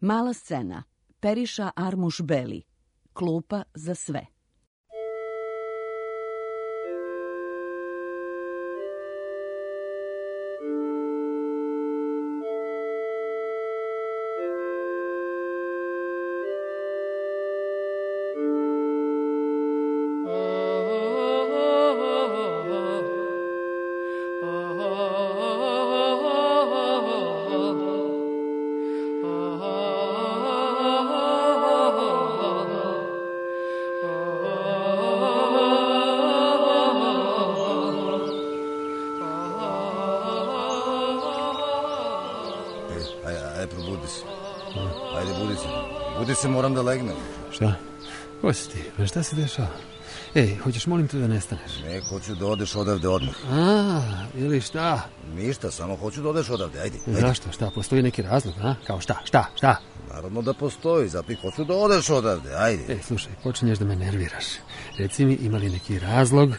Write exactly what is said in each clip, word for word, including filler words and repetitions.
Mala scena. Periša Armuš Beli. Klupa za sve. Budi se, moram da legnem. Šta? Ko si ti? Šta se dešava? Ej, hoćeš molim te da nestaneš? Ne, hoću da odeš odavde odmah. A, ili šta? Ništa, samo hoću da odeš odavde, ajde. ajde. Zašto? Šta? Postoji neki razlog, a? Kao šta? Šta? Šta? Naravno da postoji, zato i hoću da odeš odavde, ajde. Ej, slušaj, počinješ da me nerviraš. Reci mi, ima li neki razlog?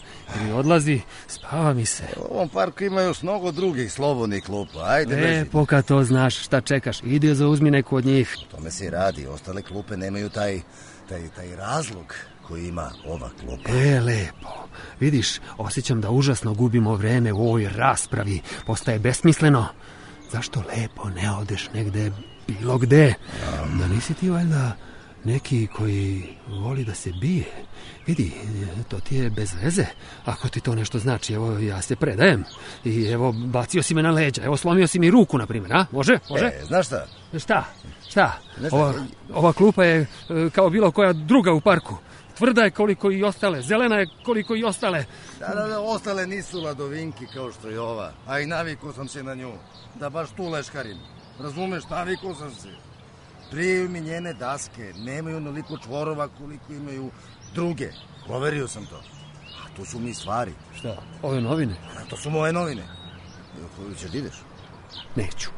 Ili odlazi, spava mi se. U ovom parku ima još mnogo drugih slobodnih klupa, ajde. E, poka to znaš, šta čekaš? Idi zauzmi neku od njih. Tome se i radi, ostale klupe nemaju taj, taj, taj razlog koji ima ova klupa. E, lepo. Vidiš, osjećam da užasno gubimo vreme u ovoj raspravi. Postaje besmisleno. Zašto lepo ne odeš negde, bilo gde? Um. Da nisi ti valjda neki koji voli da se bije? Vidi, to ti je bez veze. Ako ti to nešto znači, evo, ja se predajem. I evo, bacio si me na leđa. Evo, slomio si mi ruku, na primjer, a? Može? Može? E, znaš šta? Šta? Šta? Ova, ova klupa je kao bilo koja druga u parku. Tvrda je koliko i ostale, zelena je koliko i ostale. Da, da, da, ostale nisu ladovinki kao što je ova. A i navikao sam se na nju. Da baš tu leškarim. Razumeš, navikao sam se. Prije mi njene daske nemaju onoliko čvorova koliko imaju druge. Proverio sam to. A to su mi stvari. Šta? Ove novine? A to su moje novine. Koju ćeš da ideš? Neću.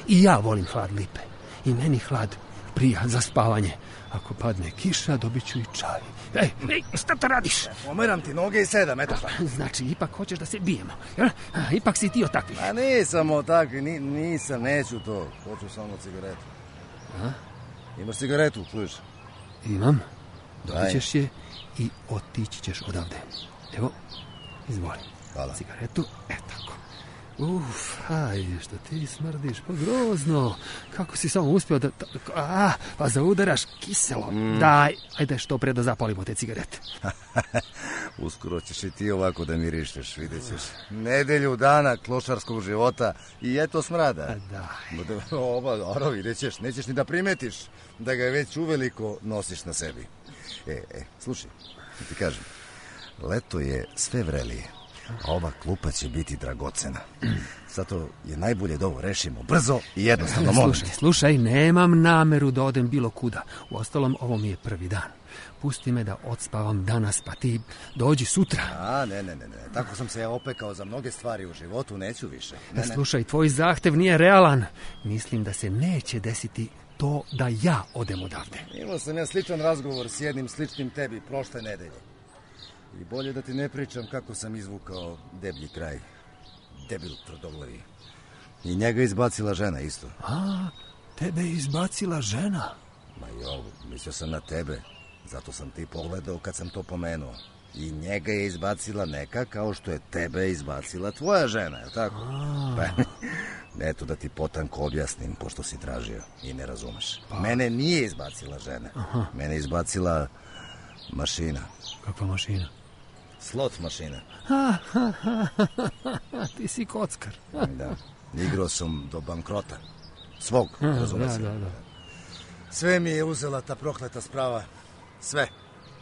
I ja volim hlad lipe. I meni hlad prija za spavanje. Ako padne kiša, dobit ću i čaj. Ej, ej, šta to radiš? Pomeram ti noge i sedam, eto šta. Znači, ipak hoćeš da se bijemo, jel? Ipak si ti o takvih. A nisam o takvih, ni, nisam, neću to. Hoću samo cigaretu. A? Imaš cigaretu, čuješ? Imam. Dobit ćeš je i otići ćeš odavde. Evo, izvoli. Hvala. Cigaretu, e tako. Uf, ajde, što ti smrdiš, pa grozno. Kako si samo uspio da... A, pa zaudaraš kiselo. Mm. Daj, ajde što pre da zapalimo te cigarete. Uskoro ćeš i ti ovako da mirišeš, vidjet ćeš. Nedelju dana klošarskog života i eto smrada. A daj. Oba, oro, vidjet ćeš, nećeš ni da primetiš da ga već uveliko nosiš na sebi. E, e, slušaj, ti kažem, leto je sve vrelije. A ova klupa će biti dragocena. Zato je najbolje da ovo rešimo brzo i jednostavno. Slušaj, slušaj, nemam nameru da odem bilo kuda. Uostalom, ovo mi je prvi dan. Pusti me da odspavam danas, pa ti dođi sutra. A, ne, ne, ne, ne. Tako sam se ja opekao za mnoge stvari u životu, neću više. Ne, ne. Slušaj, tvoj zahtev nije realan. Mislim da se neće desiti to da ja odem odavde. Imao sam ja sličan razgovor s jednim sličnim tebi prošle nedelje. I bolje da ti ne pričam kako sam izvukao deblji kraj. Debil tvrdoglavi. I njega izbacila žena isto. A, tebe je izbacila žena? Ma jo, mislio sam na tebe. Zato sam ti pogledao kad sam to pomenuo. I njega je izbacila neka kao što je tebe izbacila tvoja žena, je li tako? A. Pa, eto da ti potanko objasnim, pošto si tražio i ne razumeš. Pa. Mene nije izbacila žena. Aha. Mene je izbacila mašina. Kakva mašina? Slot mašina. Ha, ha, ha, ha, ti si kockar. Da, igrao sam do bankrota. Svog, razumeš se. Da, da, da. Sve mi je uzela ta prokleta sprava. Sve.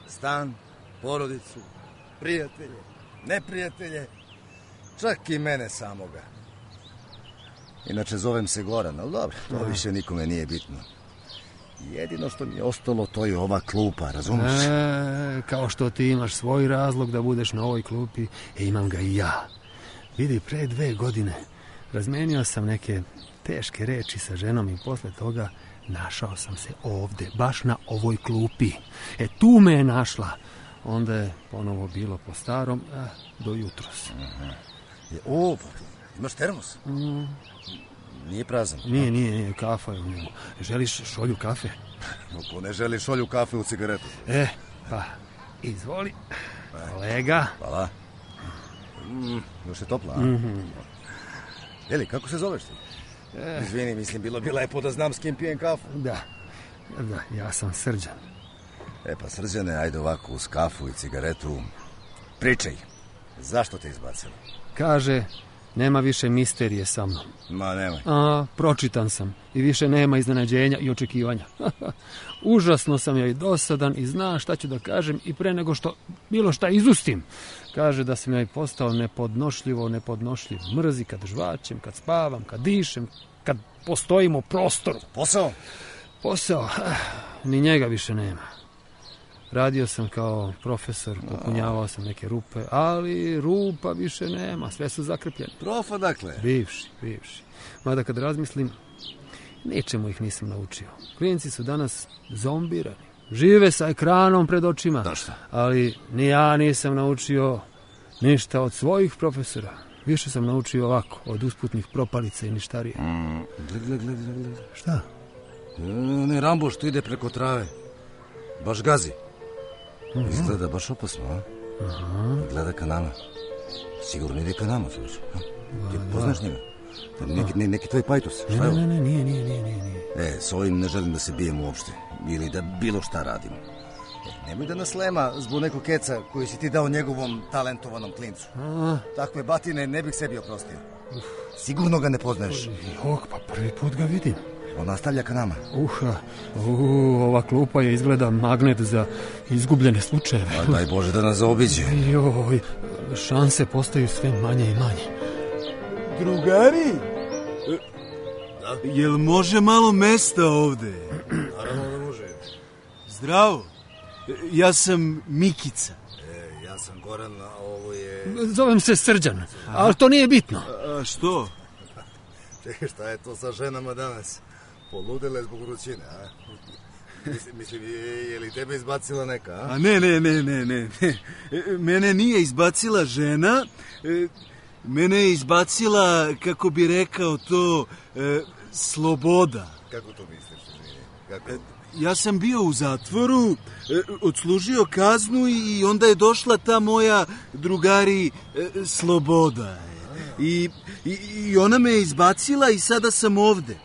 Stan, porodicu, prijatelje, neprijatelje, čak i mene samoga. Inače zovem se Goran, ali dobro, to Aha. više nikome nije bitno. Jedino što mi je ostalo, to je ova klupa, razumiješ? E, kao što ti imaš svoj razlog da budeš na ovoj klupi, e, imam ga i ja. Vidi, pre dve godine razmenio sam neke teške reči sa ženom i posle toga našao sam se ovde, baš na ovoj klupi. E, tu me je našla. Onda je ponovo bilo po starom, a, do jutros. Aha. O, pa, imaš termos? Mm. nije prazan. Nije, nije, nije, kafa je u njemu. Želiš šolju kafe? Ko ne želi šolju kafe u cigaretu? E, pa, izvoli, kolega. Hvala. Mm, još je topla, a? Mm-hmm. Jeli, kako se zoveš ti? E. Izvini, mislim, bilo bi lepo da znam s kim pijem kafu. Da, da, ja sam Srđan. E pa, Srđane, ajde ovako uz kafu i cigaretu. Pričaj, zašto te izbacilo? Kaže, nema više misterije sa mnom. Ma, nemoj. A, pročitan sam i više nema iznenađenja i očekivanja. Užasno sam joj dosadan i zna šta ću da kažem i pre nego što bilo šta izustim. Kaže da sam joj postao nepodnošljivo, nepodnošljiv. Mrzi kad žvačem, kad spavam, kad dišem, kad postojim u prostoru. Posao? Posao, ni njega više nema. Radio sam kao profesor, popunjavao sam neke rupe, ali rupa više nema, sve su zakrpljene. Profa, dakle? Bivši, bivši. Mada kad razmislim, ničemu ih nisam naučio. Klinci su danas zombirani. Žive sa ekranom pred očima. Da šta? Ali ni ja nisam naučio ništa od svojih profesora. Više sam naučio ovako, od usputnih propalica i ništarije. Mm, gled, gled, gled, gled. Šta? Ne, Rambo što ide preko trave. Baš gazi. Uh-huh. Izgleda baš opasno, a? Aha. Gleda ka nama. Sigurno ide ka nama, služi. Ti poznaš njega? Neki, ne, neki tvoj pajtus. Ne, ne, ne, ne, nije, nije, nije, nije. E, s ovim ne želim da se bijem uopšte. Ili da bilo šta radimo. E, nemoj da nas lema zbog nekog keca koji si ti dao njegovom talentovanom klincu. A? Takve batine ne bih sebi oprostio. Uf. Sigurno ga ne poznaješ. Jok, pa prvi put ga vidim. On nastavlja ka nama. Uha, uh, ova klupa je izgleda magnet za izgubljene slučajeve. A daj Bože da nas zaobiđe. Joj, šanse postaju sve manje i manje. Drugari, da? Jel može malo mesta ovde? Naravno da može. Zdravo, ja sam Mikica. E, ja sam Goran, a ovo je... Zovem se Srđan, ali to nije bitno. A što? Čekaj, šta je to sa ženama danas? Poludele zbog vrućine, a? Mislim, mislim je, je li tebe izbacila neka, a? A ne, ne, ne, ne, ne. Mene nije izbacila žena, mene je izbacila, kako bi rekao to, e, sloboda. Kako to misliš, izvini? Kako? Ja sam bio u zatvoru, e, odslužio kaznu i onda je došla ta moja, drugari, e, sloboda. I, i, I ona me je izbacila i sada sam ovde.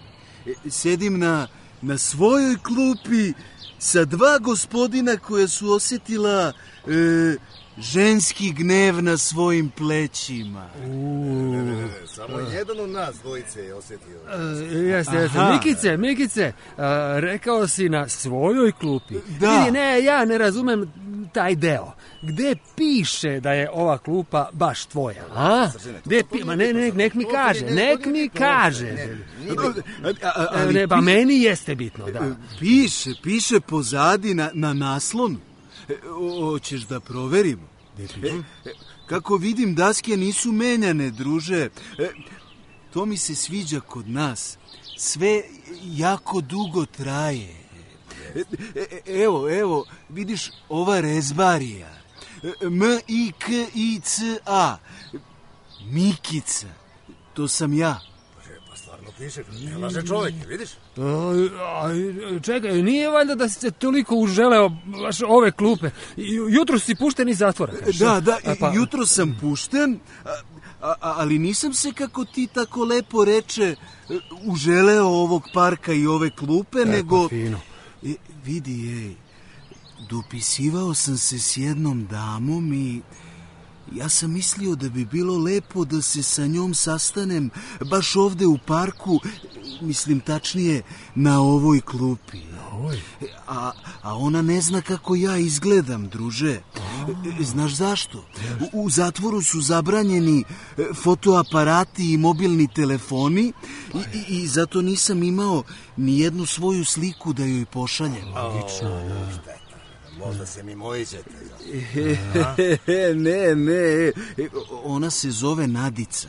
E, sedim na, na svojoj klupi sa dva gospodina koja su osjetila e, ženski gnev na svojim plećima. Ne, ne, ne, ne. Samo jedan od nas dvojice je osjetio. Uh, jeste, jeste. Mikice, Mikice, uh, rekao si na svojoj klupi. Da. Vidi, ne, ja ne razumem taj deo. Gde piše da je ova klupa baš tvoja, a? Gde pi... Ma ne, ne, nek mi kaže, nek mi kaže. Ne, pa meni jeste bitno, da. Piše, piše pozadi na, na naslonu. Hoćeš da proverimo? E, kako vidim, daske nisu menjane, druže. E, to mi se sviđa kod nas. Sve jako dugo traje. E, e, evo, evo, vidiš ova rezbarija. M I K I C A. Mikica. To sam ja. Pa stvarno piše, ne laže čovjek, vidiš? A, čekaj, nije valjda da si se toliko uželeo baš ove klupe. Jutro si pušten iz zatvora, kažeš? Da, da, a, pa... jutro sam pušten, a, a, ali nisam se, kako ti tako lepo reče, uželeo ovog parka i ove klupe, e, nego... Pa fino. E, vidi, ej, dopisivao sam se s jednom damom i... Ja sam mislio da bi bilo lepo da se sa njom sastanem baš ovde u parku, mislim tačnije na ovoj klupi. Oj. A, a ona ne zna kako ja izgledam, druže. Znaš zašto? U, u zatvoru su zabranjeni fotoaparati i mobilni telefoni i, i, i zato nisam imao ni jednu svoju sliku da joj pošaljem. Logično, ja. Možda se mi mojićete. Ne, ne, ona se zove Nadica.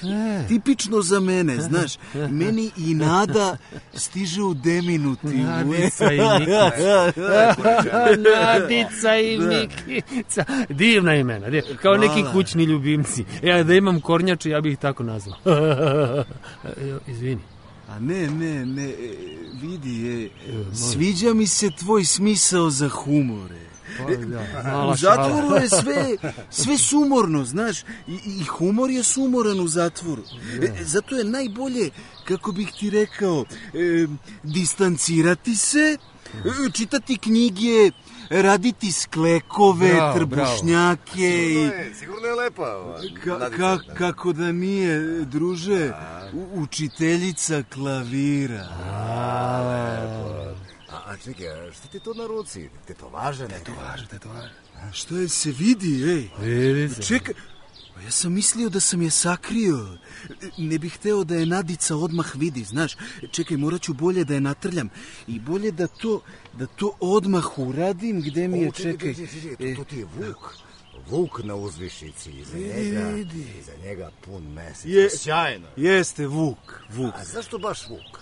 E. Tipično za mene, znaš. Meni i nada stiže u deminutivu. Nadica i Mikica. Nadica i Mikica. Divna imena. Div... Kao Hvala. neki kućni ljubimci. Ja da imam kornjače, ja bih ih tako nazvao. Izvini. A ne, ne, ne, vidi, e, sviđa mi se tvoj smisao za humore. Pa, da, U zatvoru je sve, sve sumorno, znaš, i, i humor je sumoran u zatvoru. E, zato je najbolje, kako bih ti rekao, e, distancirati se, e, čitati knjige, raditi sklekove, Bravo, trbušnjake. Sigurno I, je, sigurno je lepa. ova, ka, Nadica, ka, da. kako da nije, druže, u, učiteljica klavira. A, a čekaj, šta ti to na ruci? Tetovaže neke? Tetovaže, tetovaže. Što je se vidi, ej? Vidi se. Čekaj, pa ja sam mislio da sam je sakrio. Ne bih hteo da je Nadica odmah vidi, znaš. Čekaj, morat ću bolje da je natrljam. I bolje da to, da to odmah uradim, gde mi je, O, čekaj, čekaj. čekaj, čekaj, to, to ti je Vuk. Vuk na uzvišici, iza njega, vidi. iza njega pun mesec. Je- Sjajno. Jeste, Vuk, Vuk. A zašto baš Vuk?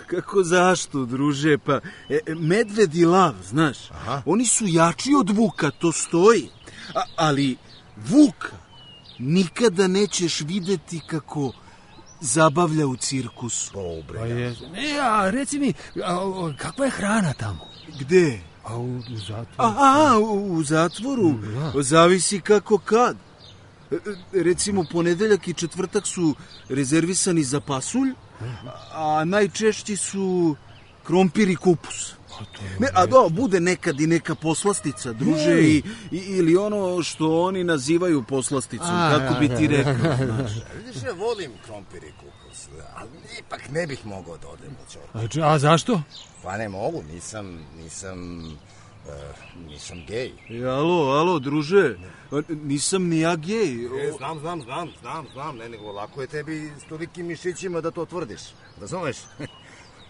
Kako zašto, druže? Pa, e, medved i lav, znaš. Aha. Oni su jači od Vuka, to stoji. A, ali Vuka nikada nećeš videti kako zabavlja u cirkusu. Pobre. Pa je. Ne, a reci mi, a, a, kakva je hrana tamo? Gde? A u, u zatvoru? Aha, u, u zatvoru. Da. Zavisi kako kad. E, e, Recimo, ponedeljak i četvrtak su rezervisani za pasulj, a najčešći su krompir i kupus. Ne, a da, bude nekad i neka poslastica, druže, i, i, ili ono što oni nazivaju poslasticom, A, kako da, bi da, ti da. rekao. Znaš. Vidiš, ja volim krompir i kupus, ali ipak ne bih mogao da odem u ćorku. A, č- a zašto? Pa ne mogu, nisam, nisam, uh, nisam gej. E, alo, alo, druže, nisam ni ja gej. E, znam, znam, znam, znam, znam, ne, nego lako je tebi s tolikim mišićima da to tvrdiš, razumeš?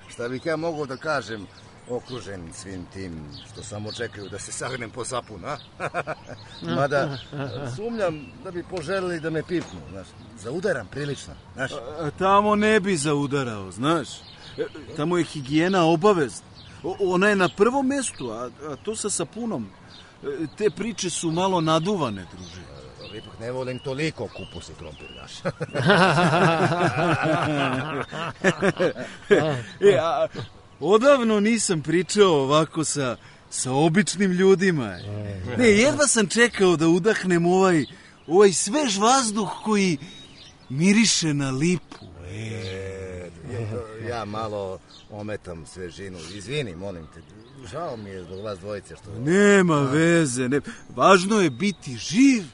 Šta bih ja mogao da kažem, okružen svim tim što samo čekaju da se sagnem po sapun, a? Mada sumnjam da bi poželili da me pipnu, znaš, zaudaram prilično, znaš. A tamo ne bi zaudarao, znaš. E, Tamo je higijena obavezna. O- Ona je na prvom mestu, a, a to sa sapunom. E, Te priče su malo naduvane, druže. Ali ipak ne volim toliko kupus i krompir, znaš. E, a, odavno nisam pričao ovako sa, sa običnim ljudima. Ne, jedva sam čekao da udahnem ovaj, ovaj svež vazduh koji miriše na lipu. E, ja malo ometam svežinu, izvini, molim te, žao mi je zbog vas dvojice što... Nema veze, ne. Važno je biti živ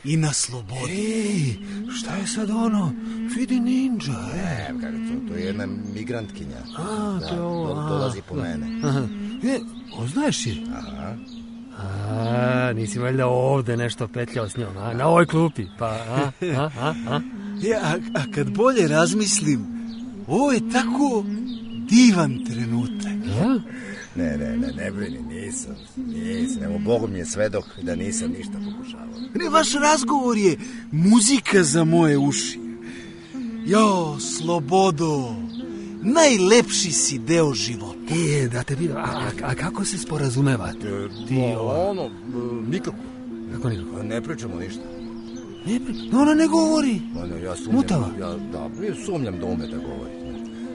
i na slobodi. Ej, šta je sad ono? Vidi ninja. Ne, kako to, to je jedna migrantkinja. A, Da, to je ovo, do- a. dolazi po mene. Aha. E, oznaješ je? Aha. A, nisi valjda ovde nešto petljao s njom, a? Na ovoj klupi, pa, a, a, a, a? Ja, a, a kad bolje razmislim, ovo je tako divan trenutak. A? Ne, ne, ne, ne brini, nisam, nisam, evo, Bog mi je svedok da nisam ništa pokušavao. Ne, vaš razgovor je muzika za moje uši. Jo, slobodo, najlepši si deo života. E, da te vidim, a, a, a kako se sporazumevate? Ti, ova, Ono, nikako, kako nikako? ne pričamo ništa. Ne, pri- ona ne govori. Ono, ja sumnjam, Mutava? ja, da, ja sumnjam da ume da govori.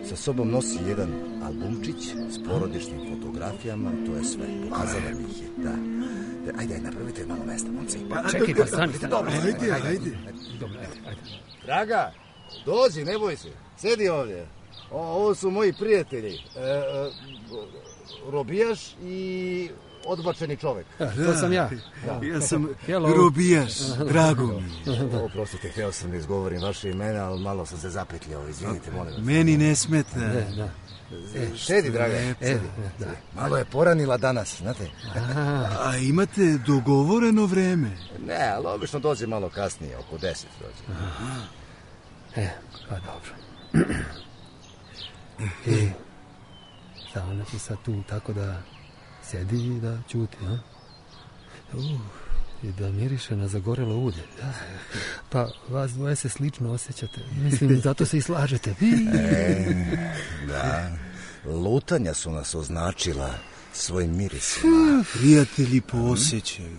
Sa sobom nosi jedan albumčić s porodičnim fotografijama, to je sve. Pokazala mi ih je, da. Da, ajde, ajde, napravite malo mesta, momci. Pa, Čekaj, pa stani, stani. Dobro, Ajde, ajde. Dobro, ajde, ajde. Draga, dođi, ne boj se. Sedi ovdje. O, ovo su moji prijatelji. E, e, robijaš i odbačeni čovek. To sam ja. Ja sam Hello. robijaš, drago mi je. Oprostite, htio sam da izgovorim vaše imena, ali malo sam se zapetljao. Izvinite, molim vas. Meni ne smeta. Da. Sedi, draga. E, Sedi. da. Malo je poranila danas, znate. A imate dogovoreno vreme? Ne, ali obično dođe malo kasnije, oko deset dođe. E, pa dobro. E, šta, ona će sad tu tako da sedi i da ćuti, a? Uh, I da miriše na zagorelo ulje. Pa vas dvoje se slično osjećate. Mislim, zato se i slažete. E, da, lutanja su nas označila svojim mirisima. Prijatelji po osjećaju.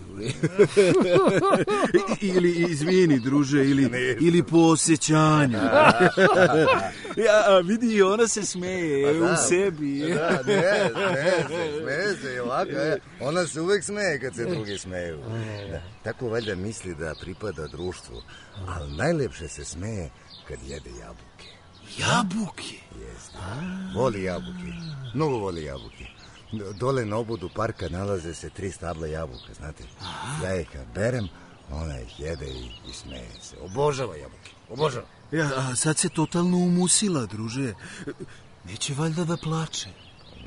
Ili, izvini, druže, ili, ili po osjećanju. Ja, vidi, ona se smeje da, u sebi. Da, ne, ne, smeje se i ovako. Ona se uvek smeje kad se drugi smeju. Da, tako valjda misli da pripada društvu. Ali najlepše se smeje kad jede jabuke. Jabuke? Jeste. Voli jabuke. Mnogo voli jabuke. Dole na obodu parka nalaze se tri stabla jabuka, znate. Ja ih kad berem, ona ih jede i, i smeje se. Obožava jabuke, obožava. Ja, a sad se totalno umusila, druže. Neće valjda da plače?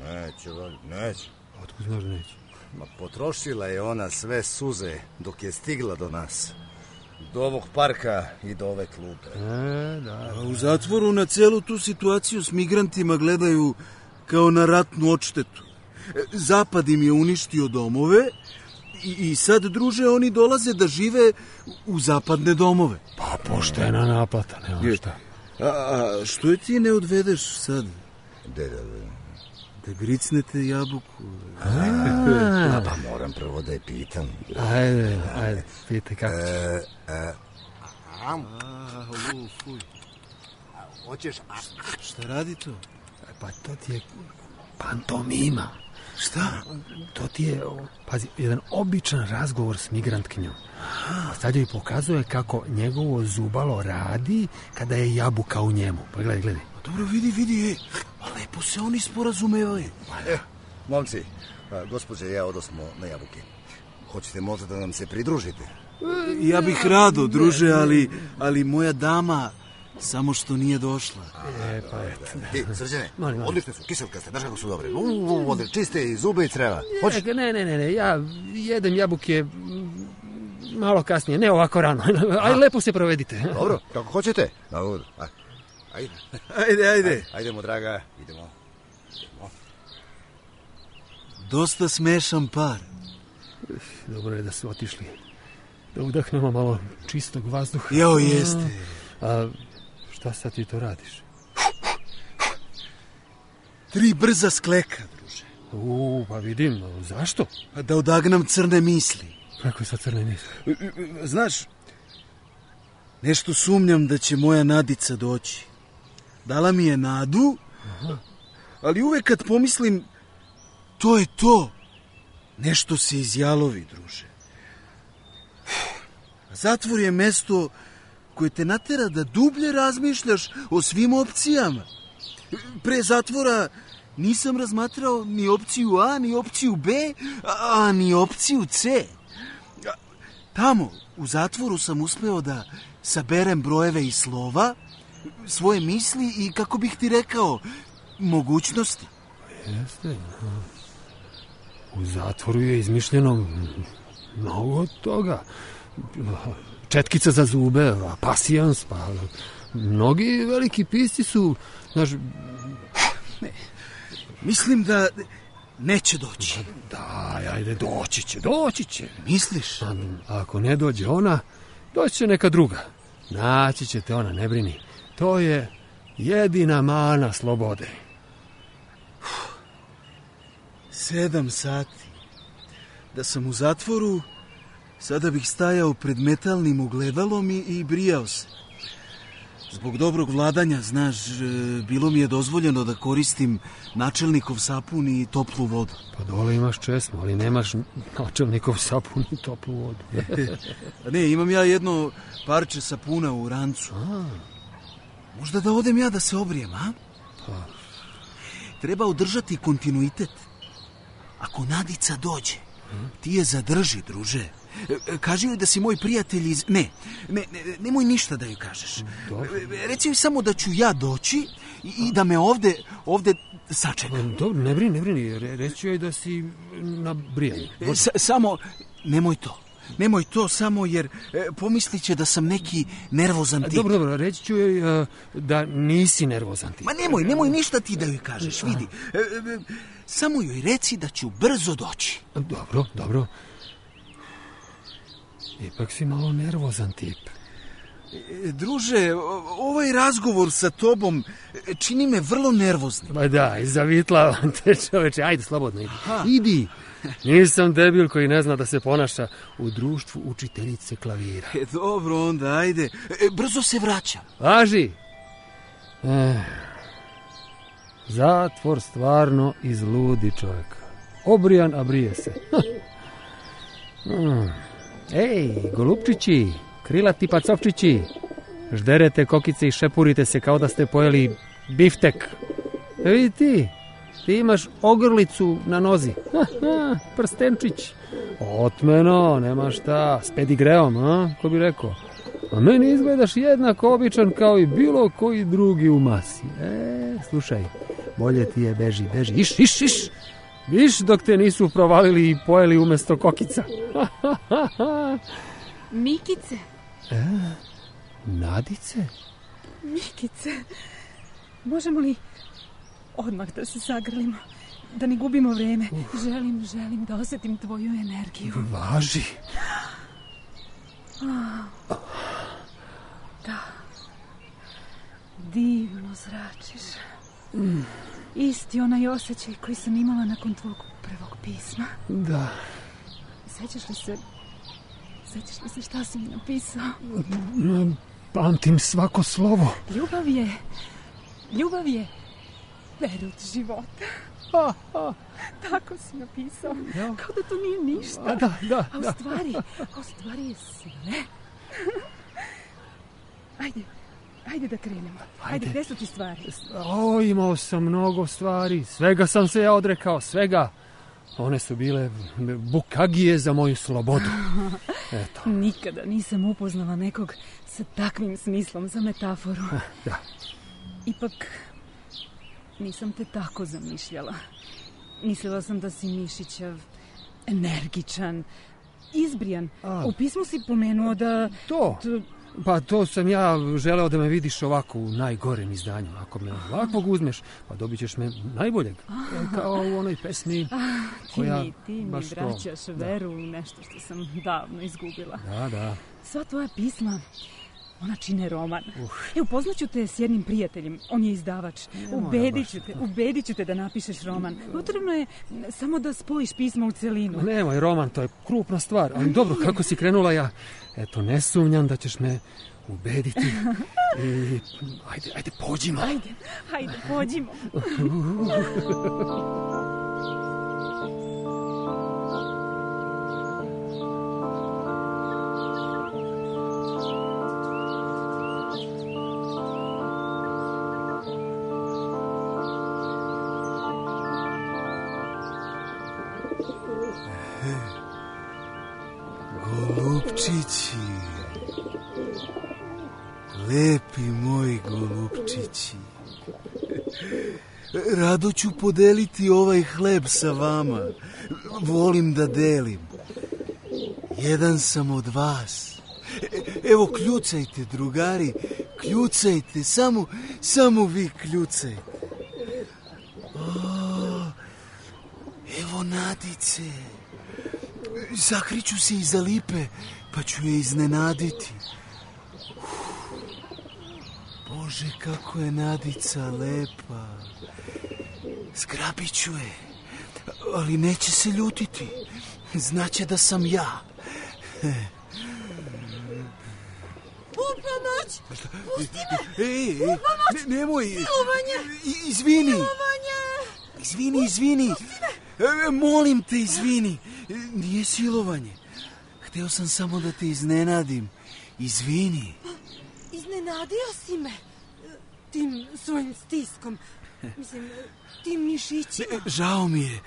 Neće, valjda, neće. Otkud znaš da neće? Ma potrošila je ona sve suze dok je stigla do nas. Do ovog parka i do ove klupe. E, da. A u zatvoru na celu tu situaciju s migrantima gledaju kao na ratnu odštetu. Zapad im je uništio domove i, i sad, druže, oni dolaze da žive u zapadne domove. Pa poštena naplata, nema šta. A, a što je ti ne odvedeš sad? De, da, da. Da gricnete jabuku. A, pa moram prvo da je pitam. Ajde, ajde, pitaj kako ćeš. E, e, A, fuj. hoćeš... Šta radi to? Pa to ti je pantomima. Šta? To ti je, pazi, jedan običan razgovor s migrantkinjom. A sad joj pokazuje kako njegovo zubalo radi kada je jabuka u njemu. Pa gledaj, gledaj. Dobro, vidi, vidi, ej. A lepo se oni sporazumevaju. E, momci, a, gospođe i ja odosmo na jabuke. Hoćete možda da nam se pridružite? Ja bih rado, druže, ali, ali moja dama samo što nije došla. E, pa eto. Ti, Srđane, Molim, molim. odlične su, kiselkaste, znaš kako su dobre. Uuu, vode, čiste i zube i creva. Hoćeš? Ne, ne, ne, ne, ja jedem jabuke malo kasnije, ne ovako rano. Aj, lepo se provedite. Dobro, kako hoćete. Dobro, ajde. Ajde, ajde. Ajdemo, draga, idemo. idemo. Dosta smešan par. Dobro je da su otišli. Da udahnemo malo čistog vazduha. Jao, jeste. A šta sad ti to radiš? Tri brza skleka, druže. U, pa vidim, zašto? Da odagnam crne misli. Kako sa crne misli? Znaš, nešto sumnjam da će moja Nadica doći. Dala mi je nadu, aha, ali uvek kad pomislim, to je to. Nešto se izjalovi, druže. Zatvor je mesto koje te natera da dublje razmišljaš o svim opcijama. Pre zatvora nisam razmatrao ni opciju A, ni opciju B, a ni opciju C. Tamo, u zatvoru sam uspeo da saberem brojeve i slova, svoje misli i, kako bih ti rekao, mogućnosti. Jeste. U zatvoru je izmišljeno mnogo toga. Četkica za zube, pasijans, pa mnogi veliki pisci su, znaš... Ne, mislim da neće doći. Da, ajde, doći će, doći će. Misliš? A, ako ne dođe ona, doći će neka druga. Naći ćete ona, ne brini. To je jedina mana slobode. Sedam sati. Da sam u zatvoru, sada bih stajao pred metalnim ogledalom i, i brijao se. Zbog dobrog vladanja, znaš, bilo mi je dozvoljeno da koristim načelnikov sapun i toplu vodu. Pa dole imaš česmu, ali nemaš načelnikov sapun i toplu vodu. Ne, imam ja jedno parče sapuna u rancu. A. Možda da odem ja da se obrijem, a? Pa. Treba održati kontinuitet. Ako Nadica dođe, ti je zadrži, druže. Kaži joj da si moj prijatelj iz... Ne, ne, ne nemoj ništa da joj kažeš. Dobro. Reci joj samo da ću ja doći i, i da me ovde, ovde sačeka. Dobro, ne brini, ne brini. Re, reći joj da si na brijanju. S, samo, nemoj to. Nemoj to samo jer e, pomislit će da sam neki nervozan tip. Dobro, dobro, reći ću joj uh, da nisi nervozan tip. Ma nemoj, nemoj ništa ti da joj kažeš, vidi. E, e, samo joj reci da ću brzo doći. Dobro, dobro. Ipak si malo nervozan tip. E, druže, ovaj razgovor sa tobom čini me vrlo nervoznim. Ba da, zavitlavam te, čoveče. Ajde, slobodno idi. Aha. Idi. Nisam debil koji ne zna da se ponaša u društvu učiteljice klavira. E, dobro, onda, ajde. E, brzo se vraćam. Važi. Eh, zatvor stvarno izludi čovjeka. Obrijan, a brije se. Hmm. Ej, golupčići, krilati pacovčići, žderete kokice i šepurite se kao da ste pojeli biftek. E vidi ti, ti imaš ogrlicu na nozi. Ha, ha, prstenčić. Otmeno, nema šta, s pedigreom, a? Ko bi rekao? A meni izgledaš jednako običan kao i bilo koji drugi u masi. E, slušaj, bolje ti je beži, beži, iš, iš, iš. Viš dok te nisu provalili i pojeli umjesto kokica. Mikice. E, Nadice? Mikice, možemo li odmah da se zagrlimo, da ne gubimo vreme? Uh. Želim, želim da osjetim tvoju energiju. Važi. Oh. Da. Divno zračiš. Mm. Isti onaj osjećaj koji sam imala nakon tvog prvog pisma. Da. Sećaš li se... Sećaš li se šta si mi napisao? Pamtim svako slovo. Ljubav je... Ljubav je... perut života. A, a. Tako si napisao. Ja. Kao da to nije ništa. A, da, da, a u da. stvari... A u stvari je sve. Ajde... Ajde da krenemo. Ajde, Ajde gde su ti stvari? O, imao sam mnogo stvari. Svega sam se ja odrekao, svega. One su bile bukagije za moju slobodu. Eto. Nikada nisam upoznala nekog sa takvim smislom za metaforu. Da. Ipak nisam te tako zamišljala. Mislila sam da si mišićav, energičan, izbrijan. A. U pismu si pomenuo da... To... to... Pa to sam ja želeo da me vidiš ovako u najgorem izdanju. Ako me ovakvog uzmeš, pa dobit ćeš me najboljeg. Kao u onoj pesmi koja... Ti mi, ti mi vraćaš to. Veru u nešto što sam davno izgubila. Da, da. Sva tvoja pisma, ona čine roman. Uh. E, upoznaću te s jednim prijateljem, on je izdavač. Ubedit ću te, ubedit ću te da napišeš roman. Potrebno je samo da spojiš pisma u celinu. Nemoj, roman, to je krupna stvar. Ali dobro, kako si krenula ja... Eto, ne sumnjam da ćeš me ubediti. I, ajde, ajde, pođimo. Ajde, ajde, pođimo. Golupčići, lepi moji golupčići, rado ću podeliti ovaj hleb sa vama, volim da delim, jedan sam od vas, evo kljucajte drugari, kljucajte, samo, samo vi kljucajte. O, evo Nadice. Zakriću se iza lipe, pa ću je iznenaditi. Uf, Bože, kako je Nadica lepa. Zgrabit ću je, ali neće se ljutiti. Znaće da sam ja. U pomoć! Pusti me! Ej, ej, u pomoć! Ne, nemoj! Silovanje! Izvini! Silovanje! Izvini, izvini! E, molim te, izvini. E, nije silovanje. Hteo sam samo da te iznenadim. Izvini. Iznenadio si me tim svojim stiskom. Mislim, tim mišićima. E, žao mi je.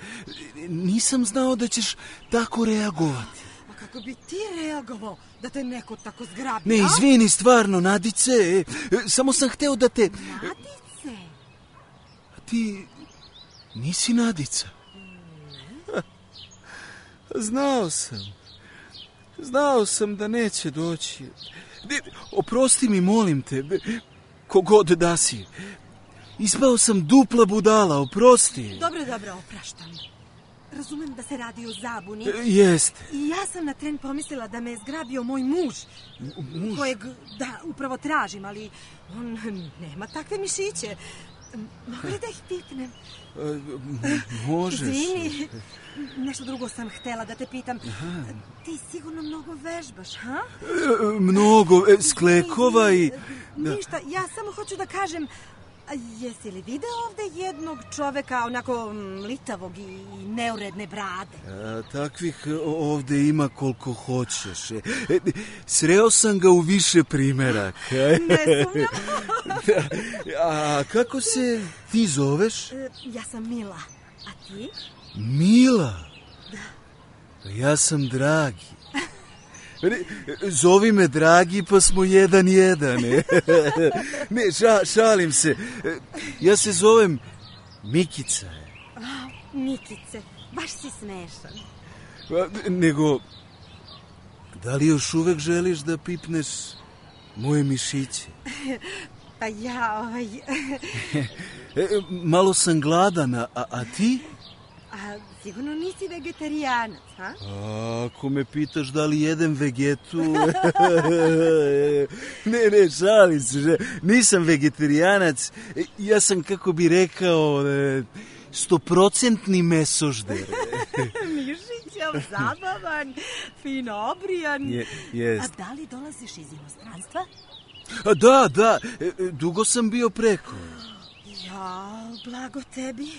Nisam znao da ćeš tako reagovati. A kako bi ti reagovao da te neko tako zgrabi? Ne, izvini, stvarno, Nadice. E, samo sam hteo da te... Nadice? A ti nisi Nadica? Znao sam. Znao sam da neće doći. Oprosti mi, molim te, kogod da si. Ispao sam dupla budala, oprosti. Dobro, dobro, opraštam. razumem da se radi o zabuni. E, jeste. I ja sam na tren pomislila da me je zgrabio moj muž. Muž? Kojeg, da, upravo tražim, ali on nema takve mišiće. Mogu li da ih pipnem? E, možeš. Izvini, nešto drugo sam htela da te pitam. Aha. Ti sigurno mnogo vežbaš, ha? E, mnogo, e, sklekova i... Da. Ništa, ja samo hoću da kažem... A jesi li video ovde jednog čoveka onako litavog i neuredne brade? A, takvih ovde ima koliko hoćeš. E, sreo sam ga u više primeraka. Ne sumnjam. A kako se ti zoveš? Ja sam Mila. A ti? Mila? Da. Ja sam Dragi. Zovi me Dragi, pa smo jedan jedan. Ne, ša, šalim se. Ja se zovem Mikica. A, Mikice, baš si smešan. Nego, da li još uvek želiš da pipneš moje mišiće? Pa ja, ovaj... Malo sam gladan, a, a ti? A sigurno nisi vegetarijanac, ha? A, ako me pitaš da li jedem vegetu... ne, ne, šalim se. Nisam vegetarijanac. Ja sam, kako bi rekao, stoprocentni mesožder. Mišićav, zabavan, fino obrijan. Je, jest. A da li dolaziš iz inostranstva? A, da, da. Dugo sam bio preko. Ja, blago tebi.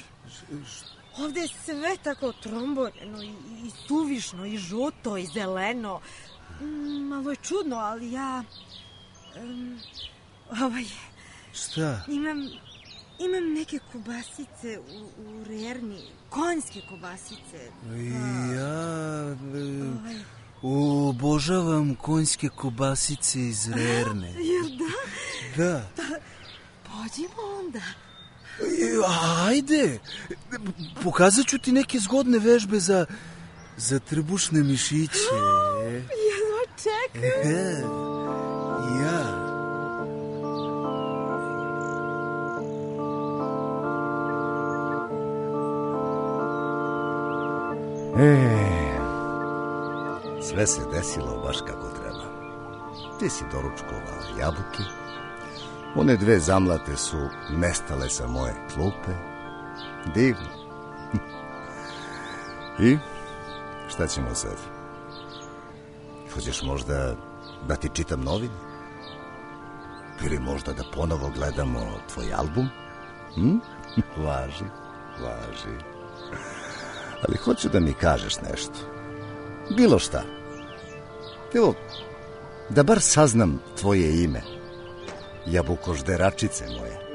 Ovde je sve tako tromboreno i, i suvišno i žuto i zeleno. Malo je čudno, ali ja... Um, ovaj... Šta? Imam, imam neke kobasice u, u rerni, konjske kobasice. Ja... Ovaj. Obožavam konjske kobasice iz rerne. Jer da? Da. Pa, pođimo onda. Ajde, pokazat ću ti neke zgodne vežbe za, za trbušne mišiće. Jedva čekam. Ja. E, sve se desilo baš kako treba. Ti si doručkovala jabuke. One dve zamlate su nestale sa moje klupe. Divno. I šta ćemo sad? Hoćeš možda da ti čitam novine? Ili možda da ponovo gledamo tvoj album? Hm? Važi, važi. Ali hoću da mi kažeš nešto. Bilo šta. Evo, da bar saznam tvoje ime. Jabukožderačice moje.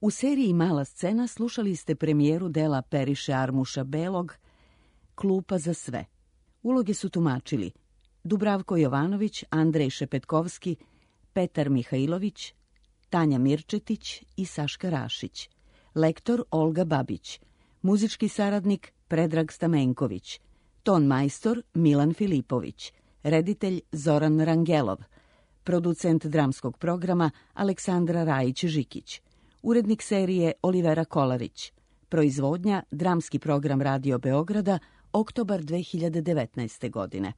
U seriji Mala scena slušali ste premijeru dela Periše Armuša Belog Klupa za sve. Uloge su tumačili Dubravko Jovanović, Andrej Šepetkovski, Petar Mihajlović, Tanja Mirčetić i Saška Rašić. Lektor Olga Babić. Muzički saradnik Predrag Stamenković. Ton majstor Milan Filipović. Reditelj Zoran Rangelov. Producent dramskog programa Aleksandra Rajić-Žikić. Urednik serije Olivera Kolarić. Proizvodnja Dramski program Radio Beograda, oktobar dve hiljade devetnaeste godine.